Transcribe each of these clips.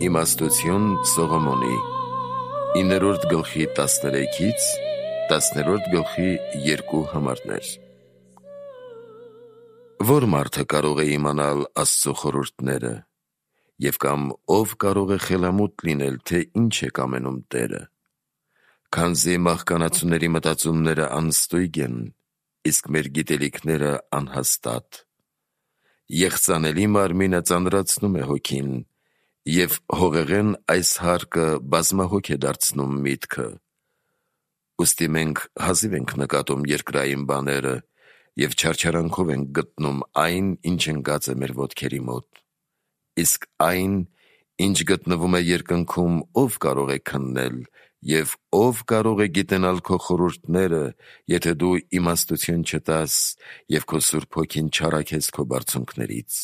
Իմաստություն Սողոմոնի 9-րդ գլխի 13-ից 10-րդ գլխի 2 համարներ։ Որ մարդը կարող է իմանալ Աստծո խորհուրդները, և կամ ով կարող է խելամուտ լինել, թե ինչ է կամենում Տերը, քանզի մահկանացուների մտածումները անստույգ են, իսկ մեր գիտելիքները անհաստատ։ Եղծանելի մարմինը ծանրացնում է հոգին, և հողեղեն այս հարկը բազմահոգ է դարձնում միտքը։ Ուստի մենք հազիվ ենք նկատում երկրային բաները և չարչարանքով ենք գտնում այն, ինչ ընկած է մեր ոտքերի մոտ։ Իսկ այն, ինչ գտնվում է երկնքում, ով կարող է քննել, և ով կարող է գիտենալ քո խորհուրդները, եթե դու իմաստություն չտաս և քո Սուրբ Հոգին չառաքես քո բարձունքներից։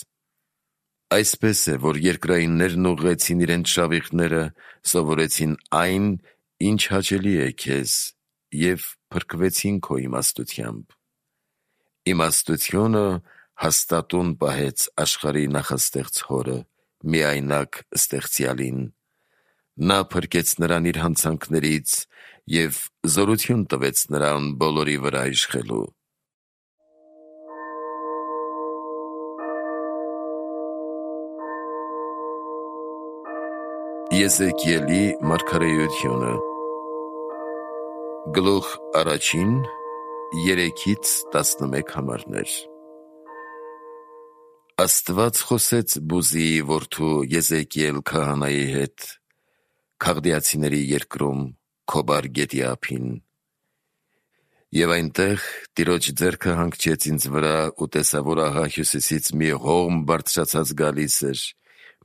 Այսպես է, որ երկրայիններն ուղղեցին իրենց շավիղները, սովորեցին այն, ինչ հաճելի է քեզ, և փրկվեցին քո իմաստությամբ։ Իմաստությունը հաստատուն պահեց աշխարհի նախաստեղծ Հորը, միայնակ Ստեղծյալին։ Նա փրկեց նրան իր հանցանքներից և զորություն տվեց նրան բոլորի վրա իշխելու։ Եզեկիելի մարգարեությունը Գլուխ 1, 3-ից 11 համարներ։ Աստված խոսեց Բուզիի որդու Եզեկիել քահանայի հետ Քաղդեացիների երկրում, Քոբար գետի ափին։ Եվ այնտեղ Տիրոջ ձեռքը հանգչեց ինձ վրա, ու տեսա, որ ահա հյուսիսից մի հողմ բարձրացած գալիս էր,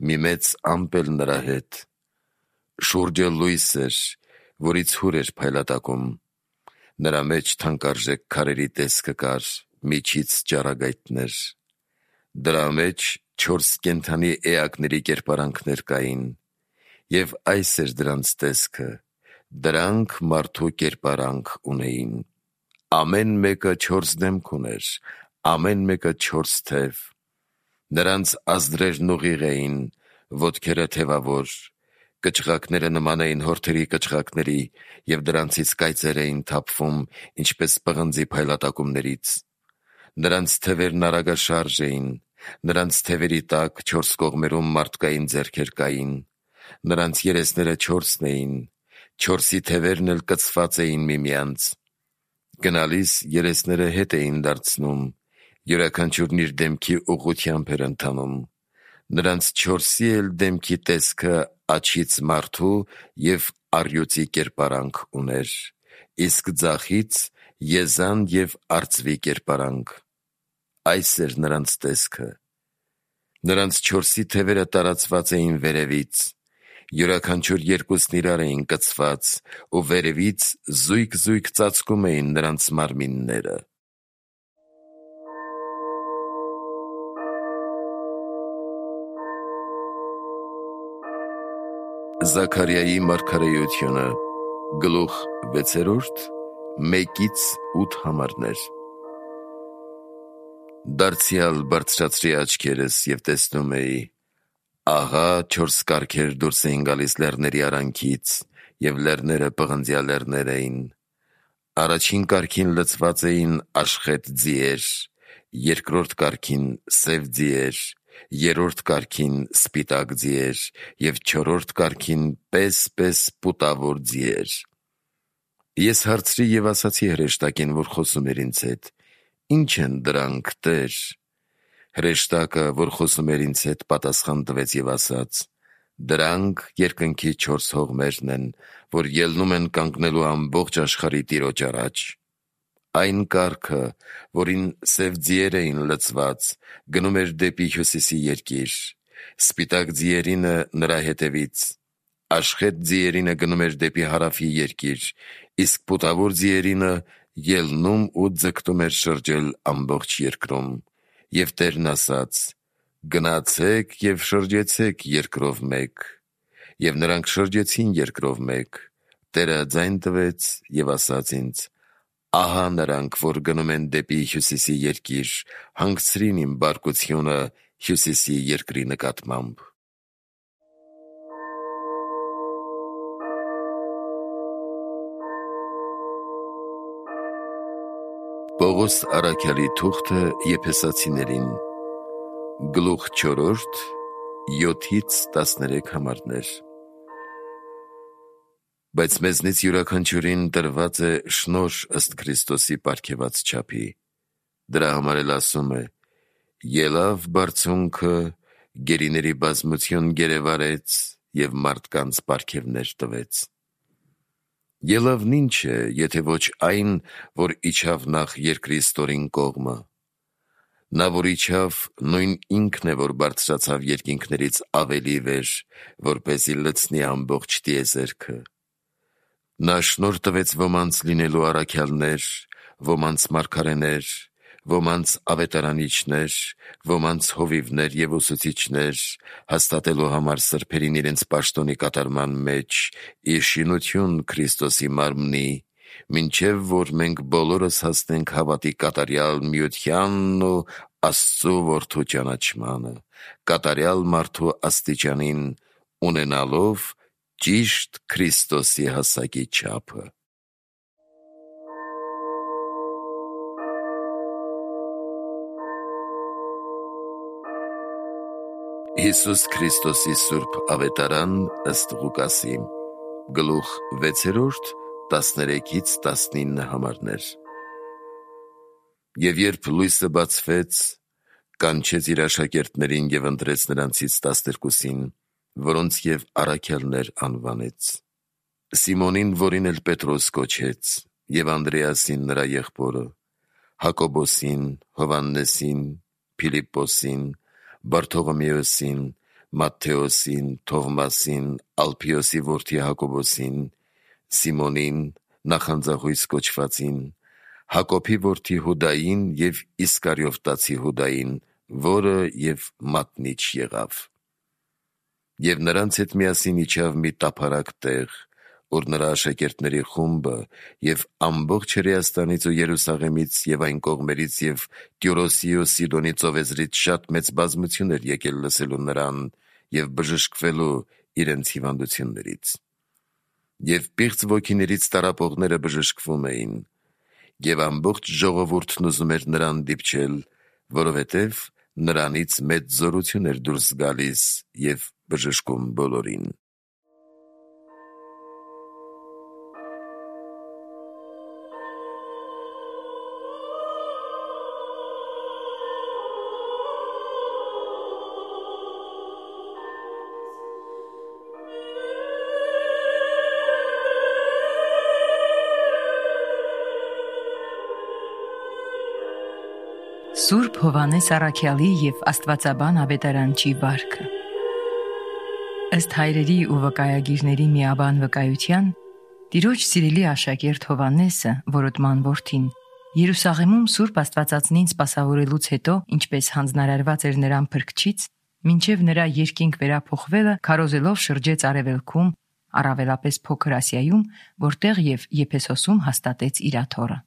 մի մեծ ամպ էլ նրա հետ։ Շուրջը լույս էր, որից հուր էր փայլատակում։ Նրա մեջ թանկարժեք քարերի տեսքը կար, միջից ճառագայթներ։ Դրա մեջ 4 կենդանի էակների կերպարանքներ կային, և այս էր դրանց տեսքը. դրանք մարդու կերպարանք ունեին։ Ամեն մեկը 4 դեմք ուներ, ամեն մեկը 4 թև։ Նրանց ազդրերն ուղիղ էին, ոտքերը թևավոր, կչղակները նման էին հորթերի կչղակների, և դրանցից կայծեր էին թափվում, ինչպես պղնձի փայլատակումներից։ Նրանց թևերն արագաշարժ էին, նրանց թևերի տակ 4 կողմերում մարդկային ձեռքեր կային։ Նրանց երեսները 4 էին, 4-ի թևերն էլ կցված էին միմյանց։ Գնալիս երեսները հետ էին դարձնում, յուրաքանչյուրն իր դեմքի ուղղությամբ էր ընթանում։ Նրանց 4-ի էլ դեմքի տեսքը աջից մարդու և առյուծի կերպարանք ուներ, իսկ ձախից եզան և արծվի կերպարանք։ Այս էր նրանց տեսքը։ Նրանց 4-ի թևերը տարածված էին վերևից, յուրաքանչյուր երկուսն իրար էին կցված, ու վերևից զույգ-զույգ ծածկում էին նրանց մարմինները։ Զաքարիայի մարգարեությունը Գլուխ 6, 1-8 համարներ։ Դարձյալ բարձրացրի աչքերս և տեսնում էի, ահա 4 կառքեր դուրս էին գալիս լեռների արանքից, և լեռները պղնձյա լեռներ էին։ Առաջին կառքին լցված էին աշխեթ ձիեր, երկրորդ կառքին սև ձիեր, երրորդ կառքին սպիտակ ձիեր և չորրորդ կառքին պես պուտավոր ձիեր։ Ես հարցրի և ասացի հրեշտակին, որ խոսում էր ինձ հետ. «Ի՞նչ են դրանք, Տեր»։ Հրեշտակը, որ խոսում էր ինձ հետ, պատասխան տվեց և ասաց. «Դրանք երկնքի 4 հողմերն են, որ ելնում են կանգնելու ամբողջ աշխարհի Տիրոջ առաջ»։ Այն կառքը, որին սև ձիեր էին լցված, գնում էր դեպի հյուսիսի երկիր, սպիտակ ձիերինը նրա հետևից, աշխեթ ձիերինը գնում էր դեպի հարավի երկիր, իսկ պուտավոր ձիերինը ելնում ու ձգտում էր շրջել ամբողջ երկրում։ Եվ Տերն ասաց. «Գնացեք և շրջեցեք երկրով մեկ»։ Եվ նրանք շրջեցին երկրով մեկ։ Տերը ձայն տվեց և ասաց ինձ. «Ահա նրանք, որ գնում են դեպի հյուսիսի երկիր, հանգցրին իմ բարկությունը հյուսիսի երկրի նկատմամբ»։ Պողոս առաքյալի թուղթը Եփեսացիներին, գլուխ 4, 7-ից 13 համարներ։ Բայց մեզնից յուրաքանչյուրին տրված է շնորհ ըստ Քրիստոսի պարգևած չափի։ Դրա համար էլ ասում է. ելավ բարձունքը, գերիների բազմություն գերեվարեց և մարդկանց պարգևներ տվեց։ Ելավն ինչ է, եթե ոչ այն, որ իջավ նախ երկրի ստորին կողմը։ Նա, որ իջավ, նույն ինքն է, որ բարձրացավ երկինքներից ավելի վեր, որպեսզի լցնի ամբողջ տիեզերքը։ Նա շնորհ տվեց ոմանց լինելու առաքյալներ, ոմանց մարգարեներ, ոմանց ավետարանիչներ, ոմանց հովիվներ և ուսուցիչներ, հաստատելու համար սրբերին իրենց պաշտոնի կատարման մեջ, ի շինություն Քրիստոսի մարմնի, մինչև որ մենք բոլորս հասնենք հավատի կատարյալ միությանն ու Աստծու Որդու ճանաչմանը, կատարյալ մարդու աստիճանին, ունենալով ճիշտ Քրիստոսի հասակի չափը։ Հիսուս Քրիստոսի սուրբ ավետարան ըստ Ղուկասի, գլուխ 6, 13-ից 19 համարներ։ Եվ երբ լույսը բացվեց, կանչեց իր աշակերտներին և ընտրեց նրանցից 12-ին, որոնց և առաքյալներ անվանեց. Սիմոնին, որին էլ Պետրոս կոչեց, և Անդրեասին նրա եղբորը, Հակոբոսին, Հովհաննեսին, Փիլիպպոսին, Բարթողոմեոսին, Մատթեոսին, Թովմասին, Ալփիոսի որդի Հակոբոսին, Սիմոնին, նախանձախույս կոչվածին, Հակոբի որդի Հուդային և Իսկարիովտացի Հուդային, որը և մատնիչ եղավ։ Եվ նրանց հետ միասին իջավ մի տափարակ տեղ, որ նրա աշակերտների խումբը և ամբողջ Հրեաստանից ու Երուսաղեմից և այն կողմերից և Տյուրոսի ու Սիդոնի ծովեզրից շատ մեծ բազմություն էր եկել լսելու նրան և բժշկվելու իրենց հիվանդություններից։ Եվ պիղծ ոգիներից տառապողները բժշկվում էին, և ամբողջ ժողովուրդն ուզում էր նրան դիպչել, որովհետև նրանից մեծ զորություն էր դուրս գալիս և բժշկում բոլորին։ Սուրբ Հովհաննես առաքյալի և աստվածաբան ավետարանչի վարքը։ Ըստ հայրերի ու վկայագիրների միաբան վկայության, Տիրոջ սիրելի աշակերտ Հովհաննեսը, որոտման որդին, Երուսաղեմում Սուրբ Աստվածածնին սպասավորելուց հետո, ինչպես հանձնարարված էր նրան Փրկչից, մինչև նրա երկինք վերափոխվելը քարոզելով շրջեց Արևելքում, առավելապես Փոքր Ասիայում, որտեղ և Եփեսոսում հաստատեց իր աթոռը։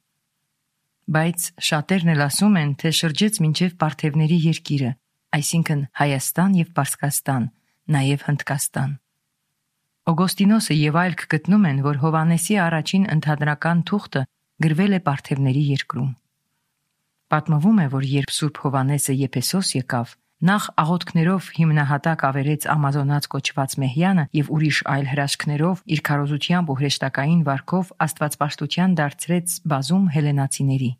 Բայց շատերն էլ ասում են, թե շրջեց մինչև Պարթևների երկիրը, այսինքն Հայաստան և Պարսկաստան, նաև Հնդկաստան։ Օգոստինոսը և այլք գտնում են, որ Հովհաննեսի առաջին ընդհանրական թուղթը գրվել է Պարթևների երկրում։ Պատմվում է, որ երբ Սուրբ Հովհաննեսը Եփեսոս եկավ, նախ աղոթքներով հիմնահատակ ավերեց Ամազոնաց կոչված Մեհյանը և ուրիշ այլ հրաշքներով իր քարոզությամբ ու հրեշտակային վարքով աստվածպաշտության դարձրեց բազում հելենացիների։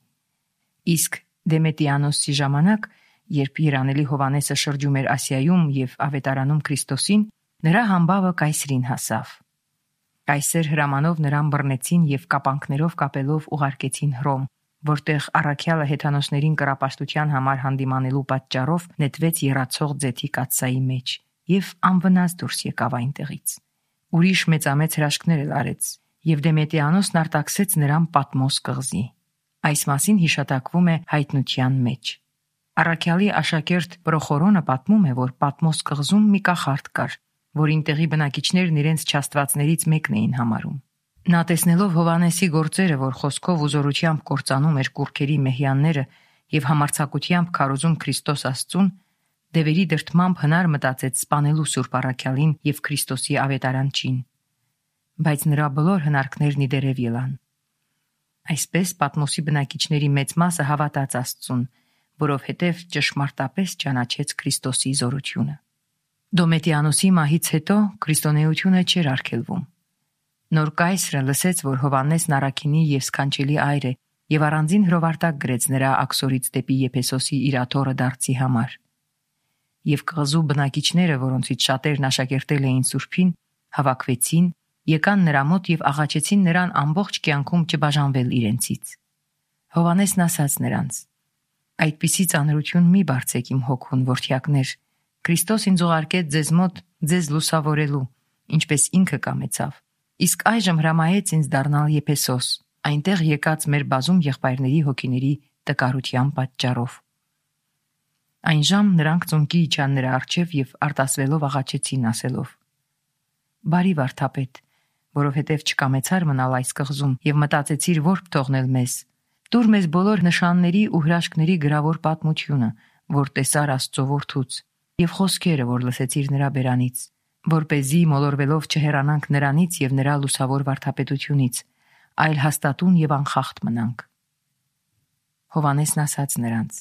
Իսկ Դեմետիանոսի ժամանակ, երբ երանելի Հովհաննեսը շրջում էր Ասիայում և ավետարանում Քրիստոսին, նրա համբավը կայսրին հասավ։ Կայսեր հրամանով նրան բռնեցին և կապանքներով կապելով ուղարկեցին Հռոմ, որտեղ առաքյալը հեթանոսներին կռապաշտության համար հանդիմանելու պատճառով նետվեց եռացող ձեթի կաթսայի մեջ և անվնաս դուրս եկավ այնտեղից։ Ուրիշ մեծամեծ հրաշքներ էլ արեց, և Դեմետիանոսն արտաքսեց նրան Պատմոս կղզի։ Այս մասին հիշատակվում է հայտնության մեջ։ Առաքյալի աշակերտ Պրոխորոնը պատմում է, որ Պատմոս կղզում մի կախարդ կար, որին տեղի բնակիչներն իրենց չաստվածներից մեկն էին համարում։ Նա տեսնելով Հովհաննեսի գործերը, որ խոսքով ու զորությամբ կործանում էր կուռքերի մեհյանները և համարձակությամբ քարոզում Քրիստոս Աստծուն, դևերի դրդմամբ հնար մտածեց սպանելու Սուրբ առաքյալին և Քրիստոսի ավետարանչին։ Բայց նրա բոլոր հնարքներն ի դերև ելան։ Այսպես Պատմոսի բնակիչների մեծ մասը հավատաց Աստծուն, որովհետև ճշմարտապես ճանաչեց Քրիստոսի զորությունը։ Դոմետիանոսի մահից հետո քրիստոնեությունը չէր արգելվում։ Նոր կայսրը լսեց, որ Հովհաննեսն առաքինի եւ սքանչելի այր է, եւ առանձին հրովարտակ գրեց նրա աքսորից դեպի Եփեսոսի իր աթոռը դարձի համար։ Եվ կղզու բնակիչները, որոնցից շատերն աշակերտել էին Սուրբին, հավաքվեցին, եկան նրա մոտ եւ աղաչեցին նրան ամբողջ կյանքում չբաժանվել իրենցից։ Հովհաննեսն ասաց նրանց. «Այդպիսի ծանրություն մի բարձեք իմ հոգուն, որդյակներ, Քրիստոս ինձ ուղարկեց ձեզ մոտ ձեզ լուսավորելու, ինչպես ինքը կամեցավ։ Իսկ այժմ հրամայեց ինձ դառնալ Եփեսոս, այնտեղ եկած մեր բազում եղբայրների հոգիների տկարության պատճառով»։ Այն ժամ նրանք ծունկի իջան նրա առջև եւ արտասվելով աղաչեցին, ասելով. «Բարի վարդապետ, որովհետև չկամեցար մնալ այս կղզում եւ մտածեցիր որբ թողնել մեզ։ Տուր մեզ բոլոր նշանների ու հրաշքների գրավոր պատմությունը, որ տեսար Աստծո որդուց, եւ խոսքերը, որ լսեցիր նրա բերանից, որպեսզի մոլորվելով չհեռանանք նրանից եւ նրա լուսավոր վարդապետությունից, այլ հաստատուն եւ անխախտ մնանք»։ Հովհաննեսն ասաց նրանց.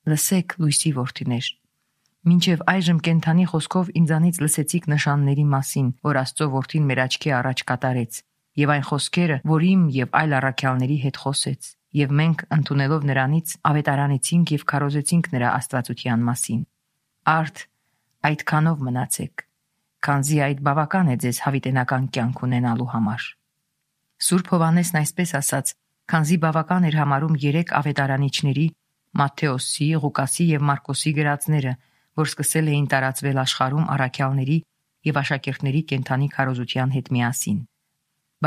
«Լսեք, լույսի որդիներ, մինչև այժմ կենթանի խոսքով ինձանից լսեցիք նշանների մասին, որ Աստծո որդին մեր աչքի առաջ կատարեց, եւ այն խոսքերը, որ իմ եւ այլ առաքյալների հետ խոսեց, եւ մենք ընդունելով նրանից ավետարանեցինք եւ քարոզեցինք նրա աստվածության մասին։ Արդ այդքանով մնացեք, քանզի այդ բավական է ձեզ հավիտենական կյանք ունենալու համար»։ Սուրբ Հովհաննեսն այսպես ասաց, քանզի բավական էր համարում 3 ավետարանիչների՝ Մատթեոսի, Ղուկասի եւ Մարկոսի գրածները, որ սկսել էին տարածվել աշխարհում առաքյալների եւ աշակերտների կենթանի քարոզության հետ միասին։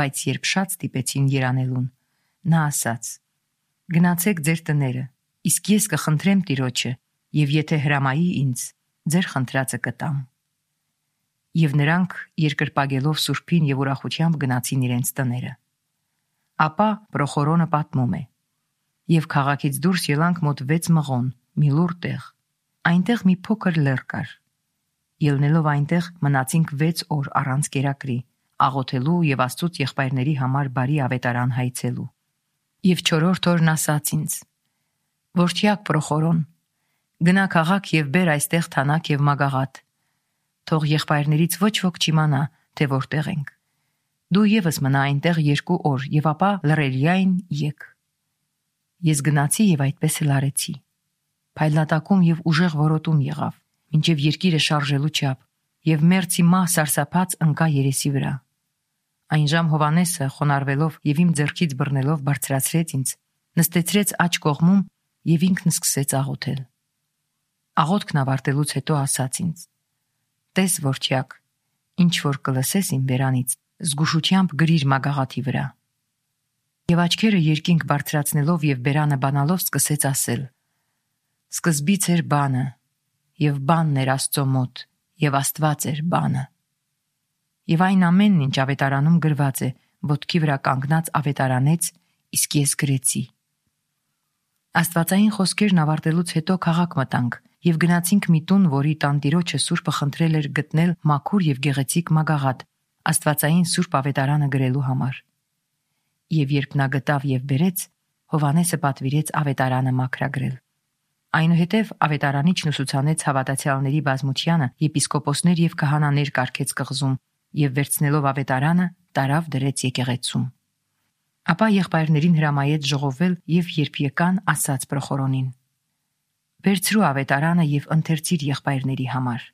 Բայց երբ շատ ստիպեցին երանելուն, նա ասաց. «Գնացեք ձեր տները, իսկ ես կխնդրեմ Տիրոջը, եւ եթե հրամայի ինձ, ձեր խնդրածը կտամ»։ Եվ նրանք երկրպագելով Սուրբին եւ ուրախությամբ գնացին իրենց տները։ Ապա Պրոխորոնը պատմում է. «Եվ քաղաքից դուրս ելանք մոտ 6 մղոն, մի լուռ տեղ։ Այնտեղ մի փոքր լեռ կար։ Ելնելով այնտեղ մնացինք 6 օր առանց կերակրի, աղոթելու եւ Աստծուց եղբայրների համար բարի ավետարան հայցելու։ Եվ 4-րդ օրն ասաց ինձ. «Որդյակ Պրոխորոն, գնա քաղաք եւ բեր այստեղ թանակ եւ մագաղատ։ Թող եղբայրներից ոչ ոք չիմանա, թե որտեղ ենք։ Դու եւս մնա այնտեղ 2 օր եւ ապա լռելիային եկ»։ Ես գնացի եւ այդպես էլ արեցի։ Փայլատակում եւ ուժեղ որոտում եղավ, մինչև երկիրը շարժելու չափ, եւ մերձի մահ սարսափած ընկա երեսի վրա։ Այն ժամ Հովհաննեսը խոնարհվելով եւ իմ ձեռքից բռնելով բարձրացրեց ինձ, նստեցրեց աջ կողմում եւ ինքն սկսեց աղոթել։ Աղոթքն ավարտելուց հետո ասաց ինձ. «Տես, որդյակ, ինչ որ կլսես իմ բերանից, զգուշությամբ գրիր մագաղաթի վրա»։ Եվ աչքերը երկինք բարձրացնելով եւ բերանը բանալով սկսեց ասել. «Սկզբից էր բանը, եւ բանն էր Աստծո մոտ, եւ Աստված էր բանը»։ Եվ այն ամենն, ինչ ավետարանում գրված է, ոտքի վրա կանգնած ավետարանեց, իսկ ես գրեցի։ Աստվածային խոսքերն ավարտելուց հետո քաղաք մտանք եւ գնացինք մի տուն, որի տանտիրոջը Սուրբը խնդրել էր գտնել մաքուր եւ գեղեցիկ մագաղաթ Աստվածային Սուրբ ավետարանը գրելու համար։ Եվ երբ նա գտավ եւ բերեց, Հովհաննեսը պատվիրեց ավետարանը մաքրագրել։ Այնուհետև ավետարանիչն ուսուցանեց հավատացյալների բազմությանը եպիսկոպոսներ եւ քահանաներ կարգեց կղզում եւ վերցնելով ավետարանը տարավ դրեց եկեղեցում։ Ապա եղբայրներին հրամայեց ժողովել եւ երբ եկան, ասաց Պրոխորոնին. «Վերցրու ավետարանը եւ ընթերցիր եղբայրների համար»։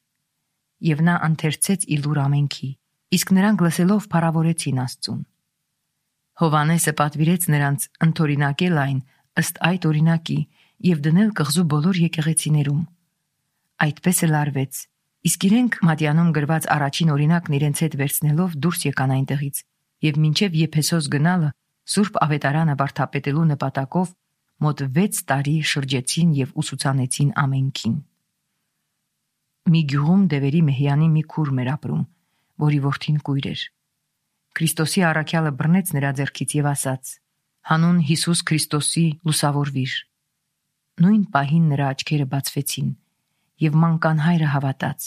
Եվ նա ընթերցեց իլուր ամենքի, իսկ նրանք լսելով փառավորեցին Աստծուն։ Հովհաննեսը պատվիրեց նրանց ընդօրինակել այն ըստ այդ օրինակի եւ դնել կղզու բոլոր եկեղեցիներում։ Այդպես էլ արվեց, իսկ իրենք Մատյանում գրված առաջին օրինակն իրենց հետ վերցնելով դուրս եկան այնտեղից եւ մինչեւ Եփեսոս գնալը Սուրբ ավետարանը վարդապետելու նպատակով մոտ 6 տարի շրջեցին եւ ուսուցանեցին ամենքին։ Մի գյուղում Դևերի Մեհյանի մի քուր մեր ապրում, որի որդին կույր էր։ Քրիստոսի առաքյալը բռնեց նրա ձեռքից եւ ասաց. «Հանուն Հիսուս Քրիստոսի լուսավորվիր»։ Նույն պահին նրա աչքերը բացվեցին եւ մանկան հայրը հավատաց։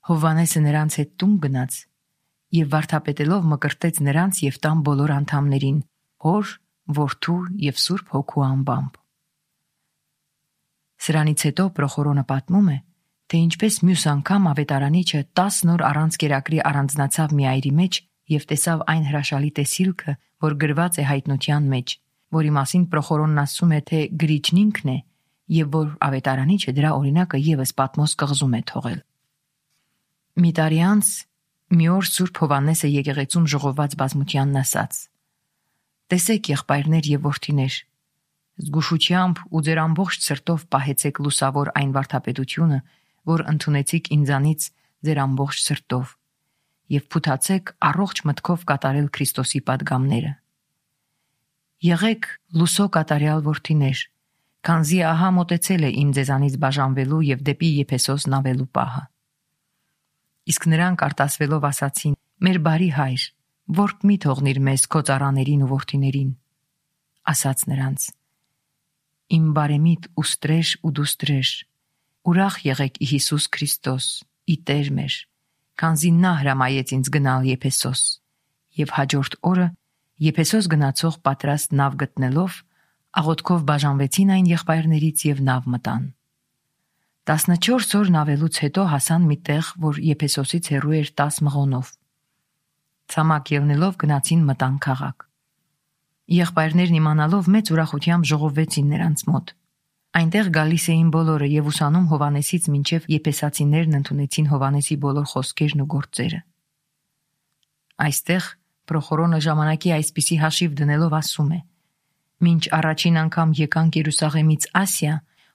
Հովհաննեսը նրանց հետ տուն գնաց եւ վարդապետելով մկրտեց նրանց եւ տան բոլոր անդամներին, հոր, Որդու եւ Սուրբ Հոգու անբամբ։ Սրանից հետո Պրոխորոնը պատմում է, թե ինչպես մյուս անգամ ավետարանիչը 10 նոր առանց կերակրի առանձնացավ մի այրի մեջ եւ տեսավ այն հրաշալի տեսիլքը, որ գրված է հայտնության մեջ, որի մասին Պրոխորոնն ասում է, թե գրիչն ինքն է եւ որ ավետարանիչը դրա օրինակը եւս Պատմոս կղզում է թողել։ Մի տարի անց մի օր Սուրբ Հովհաննեսը եկեղեցում ժողոված բազմությանն ասաց. «Տեսեք, եղբայրներ եւ որդիներ, զգուշությամբ ու ձեր ամբողջ սրտով պահեցեք լուսավոր այն վարդապետությունը, որ ընդունեցիք ինձանից ձեր ամբողջ սրտով, եւ փութացեք առողջ մտքով կատարել Քրիստոսի պատգամները։ Եղեք լուսո կատարյալ որդիներ, քանզի ահա մոտեցել է իմ ձեզանից բաժանվելու եւ դեպի Եփեսոս նավելու պահը»։ Իսկ նրանք արտասվելով ասացին. «Մեր բարի հայր, որբ մի թողնիր մեզ քո ծառաներին ու որդիներին»։ Ասաց նրանց. «Իմ բարեմիտ ու ստրեժ ու դուստրեժ, ուրախ եղեք ի Հիսուս Քրիստոս, ի Տեր մեր, քանզի նա հրամայեց ինձ գնալ Եփեսոս»։ Եվ հաջորդ օրը Եփեսոս գնացող պատրաստ նավ գտնելով, աղոթքով բաժանվեցին այն եղբայրներից եւ նավ մտան։ 14 օր նավելուց հետո հասան մի տեղ, որ Եփեսոսից հեռու էր 10 մղոնով։ Ցամաք ելնելով գնացին մտան քաղաք։ Եղբայրներն իմանալով մեծ ուրախությամբ ժողովվեցին նրանց մոտ։ Այնտեղ գալիս էին բոլորը եւ ուսանում Հովհաննեսից մինչեւ եփեսացիներն ընդունեցին Հովհաննեսի բոլոր խոսքերն ու գործերը։ Այստեղ Պրոխորոնը ժամանակի այսպիսի հաշիվ դնելով ասում է. «Մինչ առաջին անգամ եկանք Երուսաղեմից Ասիա,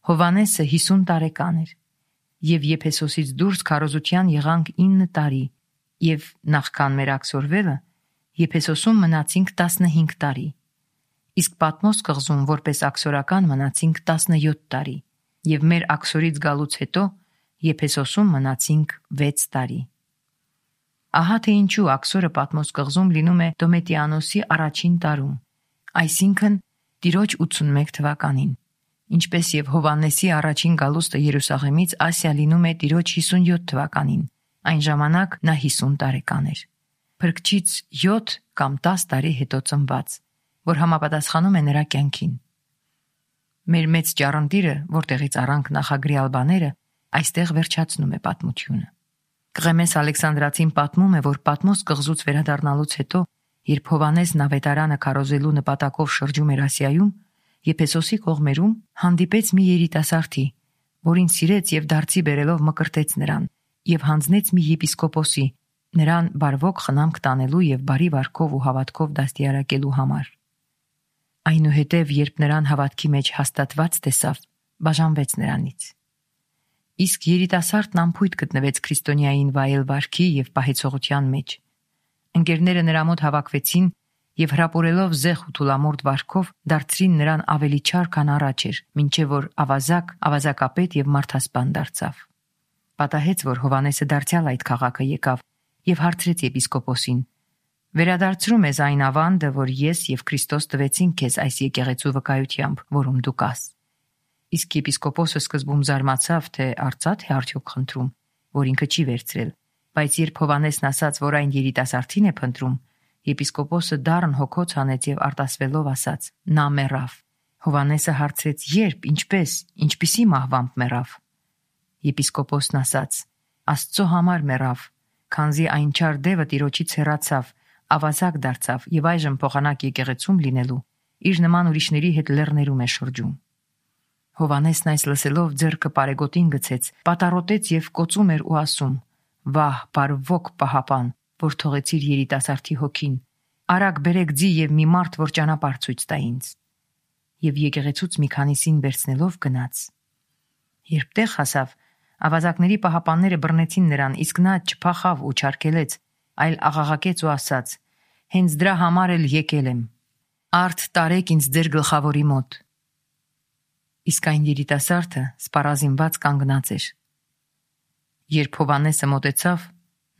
Հովհաննեսը 50 տարեկան էր, եւ Եփեսոսից դուրս քարոզության եղանք 9 տարի, եւ նախքան մեր աքսորվելը Եփեսոսում մնացինք 15 տարի, իսկ Պատմոս կղզում որպես աքսորական մնացինք 17 տարի, եւ մեր աքսորից գալուց հետո Եփեսոսում մնացինք 6 տարի»։ Ահա թե ինչու աքսորը Պատմոս կղզում լինում է Դոմետիանոսի առաջին տարում, այսինքն Տիրոջ 81 թվականին, ինչպես եւ Հովհաննեսի առաջին գալուստը Երուսաղեմից Ասիա լինում է Տիրոջ 57 թվականին, այն ժամանակ նա 50 տարեկան էր։ Փրկչից 7 կամ 10 տարի հետո ծնված, որ համապատասխանում է նրա կյանքին։ Մեր մեծ ճառընտիրը, որտեղից առանք նախագրյալ բաները, այստեղ վերջացնում է պատմությունը։ Կղեմես Ալեքսանդրացին պատմում է, որ Պատմոս կղզուց վերադառնալուց հետո, երբ Հովհաննեսն ավետարանը քարոզելու նպատակով շրջում էր Ասիայում, Եփեսոսի կողմերում հանդիպեց մի երիտասարդի, որին սիրեց եւ դարձի բերելով մկրտեց նրան եւ հանձնեց մի եպիսկոպոսի, նրան բարվոք խնամք տանելու եւ բարի վարքով ու հավատքով դաստիարակելու համար։ Այնուհետև, երբ նրան հավատքի մեջ հաստատված տեսավ, բաժանվեց նրանից։ Իսկ երիտասարդն անփույթ գտնվեց քրիստոնյային վայել վարքի եւ պահեցողության մեջ։ Ընկերները նրա մոտ հավաքվեցին եւ հրապուրելով զեղ ու թուլամորթ վարքով դարձրին նրան ավելի չար, քան առաջ էր, մինչեւ որ ավազակապետ եւ մարդասպան դարձավ։ Պատահեց, որ Հովհաննեսը դարձյալ այդ քաղաքը եկավ եւ հարցրեց եպիսկոպոսին. «Վերադարձրու մեզ այն ավանդը, որ ես եւ Քրիստոս տվեցին քեզ այս եկեղեցու վկայությամբ, որում դու կաս»։ Իսկ եպիսկոպոսը սկզբում զարմացավ, թե արծաթ է արդյոք խնդրում, որ ինքը չի վերցրել, բայց երբ Հովհաննեսն ասաց, որ այն երիտասարդին է փնտրում, եպիսկոպոսը դառն հոգոց հանեց եւ արտասվելով ասաց. «Նա մեռավ»։ Հովհաննեսը հարցրեց. «Երբ, ինչպես, ինչպիսի մահվամբ մեռավ»։ Եպիսկոպոսն ասաց. «Աստծո համար մեռավ, քանզի այն չար դևը Տիրոջից հեռացավ, ավազակ դարձավ եւ այժմ փոխանակ եկեղեցում լինելու իր նման ուրիշների հետ լեռներում է շրջում»։ Հովհաննեսն այս լսելով ձեռքը պարեգոտին գցեց, պատառոտեց եւ կոծում էր ու ասում. «Վահ, բարվոք պահապան, որ թողեցիր երիտասարդի հոգին, արագ բերեք ձի եւ մի մարդ, որ ճանապարհ ցույց տա ինձ»։ Եվ եկեղեցուց մի քանիսին վերցնելով գնաց։ Երբ տեղ հասավ, ավազակների պահապանները բռնեցին նրան, իսկ նա չփախավ ու չարգելեց, այլ աղաղակեց ու ասաց. «Հենց դրա համար էլ եկել եմ։ Արդ տարեք ինձ ձեր գլխավորի մոտ»։ Իսկ այն երիտասարդը սպառազինված կանգնած էր։ Երբ Հովհաննեսը մոտեցավ,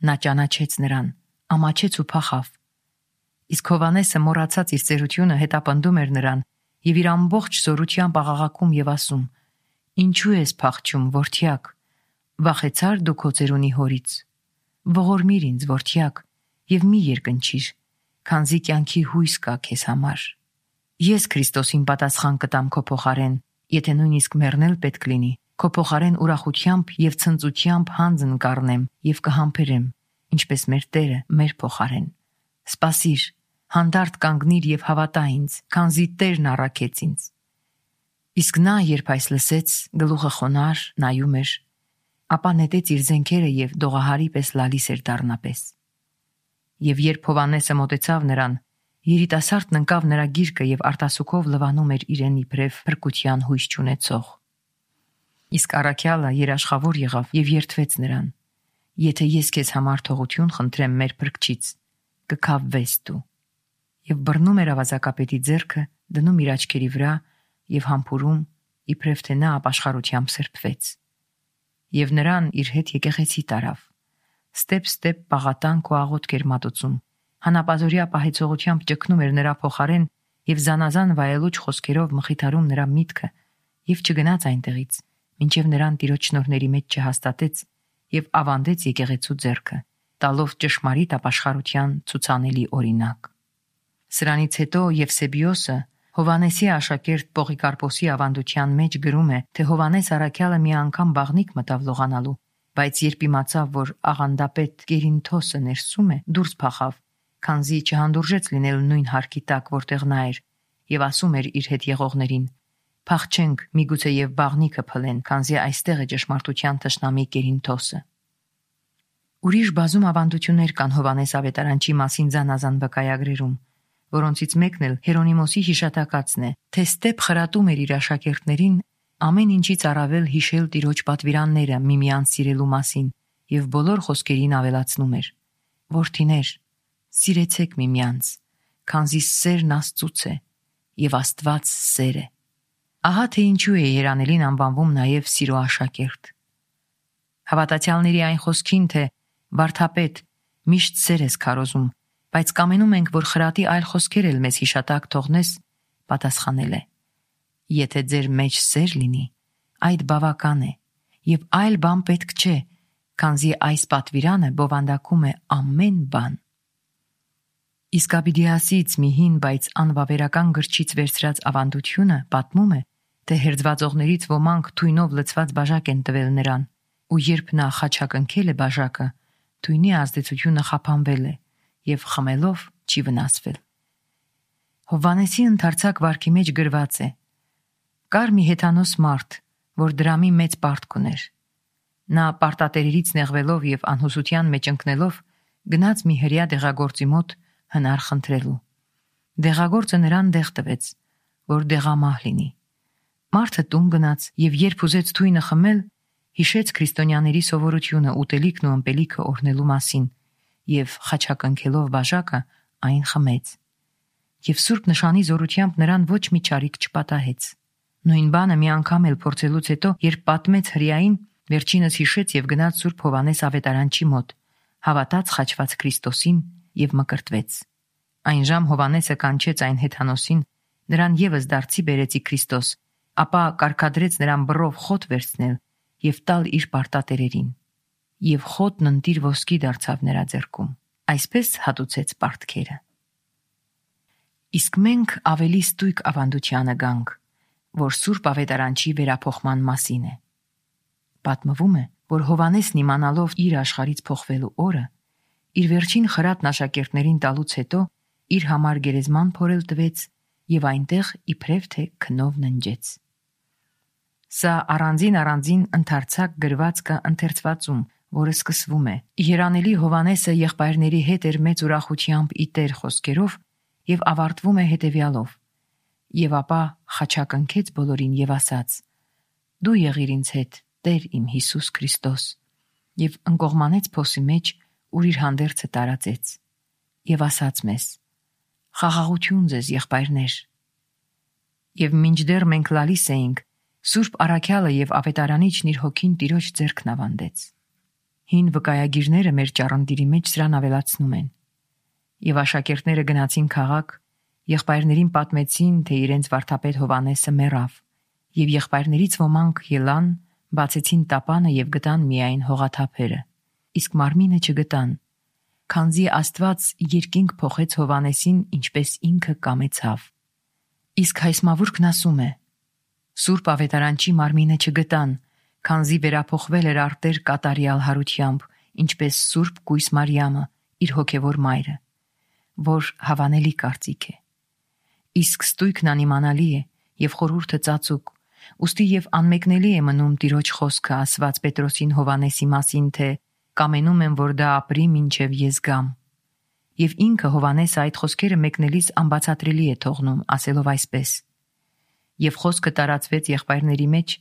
նա ճանաչեց նրան, ամաչեց ու փախավ։ Իսկ Հովհաննեսը մոռացած իր ծերությունը հետապնդում էր նրան եւ իր ամբողջ զորությամբ աղաղակում եւ ասում. «Ինչու ես փախչում, որդյակ, վախեցար դու քո ծերունի հորից։ Ողորմիր ինձ, որդյակ, եւ մի երկնչիր, քանզի կյանքի հույս կա քեզ համար»։ Ես Քրիստոսին պատասխան կտամ քո փոխարեն, եթե նույնիսկ մեռնել պետք լինի, քո փոխարեն ուրախությամբ եւ ցնծությամբ հանձն կառնեմ եւ կհամբերեմ, ինչպես մեր Տերը մեր փոխարեն։ Սպասիր, հանդարտ կանգնիր եւ հավատա ինձ, քանզի Տերն առաքեց ինձ։ Իսկ նա, երբ այս լսեց, գլուխը խոնար նայում էր, ապա նետեց իր զենքերը եւ դողահարի պես լալիս էր դառնապես։ Եվ երբ Հովհաննեսը մոտեցավ նրան, երիտասարդն ընկավ նրա գիրկը եւ արտասուքով լվանում էր իրեն իբրև փրկության հույս չունեցող։ Իսկ առաքյալը երաշխավոր եղավ եւ երդվեց նրան. «Եթե ես քեզ համար թողություն խնդրեմ մեր փրկչից, կքավվես դու»։ Եվ բռնում էր ավազակապետի ձեռքը, դնում իր աչքերի վրա եւ համբուրում, իբրև թե նա ապաշխարությամբ սրբվեց։ Եվ նրան իր հետ եկեղեցի տարավ։ Ստեպ պաղատանք ու աղոթք էր մատուցում, հանապազորյա պահեցողությամբ ճգնում էր նրա փոխարեն եւ զանազան վայելուչ խոսքերով մխիթարում նրա միտքը եւ չգնաց այնտեղից, մինչեւ նրան Տիրոջ շնորհների մեջ չհաստատեց եւ ավանդեց եկեղեցու ձեռքը, տալով ճշմարիտ ապաշխարության ցուցանելի օրինակ։ Սրանից հետո Եվսեբիոսը, Հովհաննեսի աշակերտ Պողիկարպոսի ավանդության մեջ գրում է, թե Հովհաննես առաքյալը մի անգամ բաղնիկ մտավ լողանալու, բայց երբ իմացավ, որ աղանդապետ Կերինթոսը ներսում է, դուրս փախավ, քանզի չհանդուրժեց լինել նույն հարկի տակ, որտեղ նա էր, եւ ասում էր իր հետ եղողներին. «Փախչենք, միգուցե եւ բաղնիկը փլեն, քանզի այստեղ է ճշմարտության թշնամի Կերինթոսը»։ Ուրիշ բազում ավանդություններ կան Հովհաննես ավետարանչի մասին զանազան վկայագրերում, որոնցից մեկն էլ Հերոնիմոսի հիշատակածն է, թե ստեպ խրատում էր իր աշակերտներին ամեն ինչից առավել հիշել Տիրոջ պատվիրանները միմյանց սիրելու մասին եւ բոլոր խոսքերին ավելացնում էր. «Որդիներ, սիրեցեք միմյանց, քանզի սերն Աստծուց է եւ Աստված սեր է»։ Ահա թե ինչու է երանելին անվանվում նաեւ սիրո աշակերտ։ Հավատացյալների այն խոսքին, թե «Վարդապետ, միշտ սեր ես քարոզում, բայց կամենում ենք, որ խրատի այլ խոսքեր էլ մեզ հիշատակ թողնես», պատասխանել է. «Եթե ձեր մեջ սեր լինի, այդ բավական է, եւ այլ բան պետք չէ, քանզի այս պատվիրանը բովանդակում է ամեն բան»։ Իսկ Աբիդիասից մի հին, բայց անվավերական գրչից վերցրած ավանդությունը պատմում է, թե հերձվածողներից ոմանք թույնով լցված բաժակ են տվել նրան, ու երբ նա խաչակնքել է բաժակը, թույնի ազդեցությունը խափանվել է եւ խմելով չի վնասվել։ Հովհաննեսի ընդարձակ վարքի մեջ գրված է. «Կար մի հեթանոս մարդ, որ դրամի մեծ պարտք ուներ։ Նա պարտատերերից նեղվելով եւ անհուսության մեջ ընկնելով, գնաց մի հրյա դեղագործի մոտ հնար խնդրելու։ Դեղագործը նրան դեղ տվեց, որ դեղամահ լինի։ Մարդը տուն գնաց եւ երբ ուզեց թույնը խմել, հիշեց քրիստոնյաների սովորությունը ուտելիքն ու ըմպելիքը օրհնելու մասին եւ խաչակնքելով բաժակը այն խմեց։ Եվ Սուրբ նշանի զորությամբ նրան ոչ մի չարիք չպատահեց։ Նույն բանը մի անգամ էլ փորձելուց հետո, երբ պատմեց հրեային, վերջինս հիշեց եւ գնաց Սուրբ Հովհաննես ավետարանչի մոտ, հավատաց խաչված Քրիստոսին եւ մկրտվեց։ Այն ժամ Հովհաննեսը կանչեց այն հեթանոսին, նրան եւս դարձի բերեցի Քրիստոս, ապա կարգադրեց նրան բռով խոտ վերցնել եւ տալ իր պարտատերերին։ Եվ խոտն ընտիր ոսկի դարձավ նրա ձեռքում։ Այսպես հատուցեց պարտքերը։ Իսկ մենք ավելի ստույգ ավանդությանը գանք, որ Սուրբ ավետարանչի վերափոխման մասին է։ Պատմվում է, որ Հովհաննեսն իմանալով իր աշխարհից փոխվելու օրը, իր վերջին խրատն աշակերտներին տալուց հետո իր համար գերեզման փորել տվեց եւ այնտեղ իբրև թե քնով ննջեց։ Սա առանձին ընդարձակ գրվածքը ընթերցվածում, որը սկսվում է. «Երանելի Հովհաննեսը եղբայրների հետ էր մեծ ուրախությամբ ի Տեր խոսքերով եւ ավարտվում է հետեւյալով. եւ ապա խաչակնքեց բոլորին եւ ասաց. «Դու եղիր ինձ հետ, Տեր իմ Հիսուս Քրիստոս», եւ ընկողմանեց փոսի մեջ, ուր իր հանդերձը տարածեց, եւ ասաց մեզ. «Խաղաղություն ձեզ, եղբայրներ»։ Եվ մինչդեռ մենք լալիս էինք, Սուրբ առաքյալը եւ ավետարանիչն իր հոգին Տիրոջ ձեռքն ավանդեց։ Հին վկայագիրները մեր ճառնդիրի մեջ սրան ավելացնում են։ Եվ աշակերտները գնացին քաղաք, եղբայրներին պատմեցին, թե իրենց վարդապետ Հովհաննեսը մեռավ, եւ եղբայրներից ոմանք ելան, բացեցին տապանը եւ գտան միայն հողաթափերը, իսկ մարմինը չգտան, քանզի Աստված երկինք փոխեց Հովհաննեսին, ինչպես ինքը կամեցավ։ Իսկ հայսմավուրքն ասում է. Սուրբ ավետարանչի մարմինը չգտան, քանզի վերափոխվել էր արտեր կատարյալ հարությամբ, ինչպես Սուրբ Կույս Մարիամը, իր հոգևոր մայրը, որ հավանելի կարծիք է։ Իսկ ստույգն անիմանալի է եւ խորհուրդը ծածուկ, ուստի եւ անմեկնելի է մնում Տիրոջ խոսքը ասված Պետրոսին Հովանեսի մասին, թե կամենում եմ, որ դա ապրի մինչև ես գամ։ Եվ ինքը Հովանեսը այդ խոսքերը մեկնելիս անբացատրելի է թողնում, ասելով այսպես. Եվ խոսքը տարածվեց եղբայրների մեջ,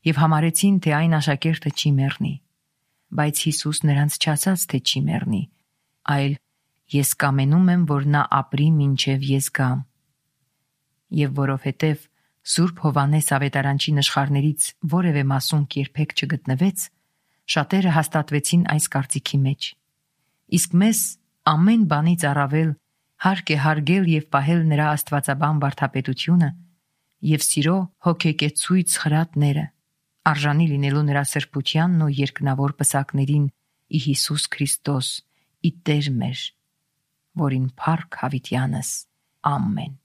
եւ համարեցին, թե այն աշակերտը չի մեռնի։ Բայց Հիսուս նրանց չասաց, թե չի մեռնի, այլ ես կամենում եմ, որ նա ապրի մինչև ես գամ։ Եվ որովհետև Սուրբ Հովանես ավետարանչի նշխարներից որևէ մասունք երբեք չգտնվեց, շատերը հաստատվեցին այս կարծիքի մեջ։ Իսկ մեզ ամեն բանից առավել հարկ է հարգել եւ պահել նրա աստվածաբան վարդապետությունը եւ սիրո հոգեկեցույց խրատները, արժանի լինելու նրա սրբությանն ու երկնավոր պսակներին ի Հիսուս Քրիստոս, ի Տեր մեր, որին փառք հավիտյանս, ամեն։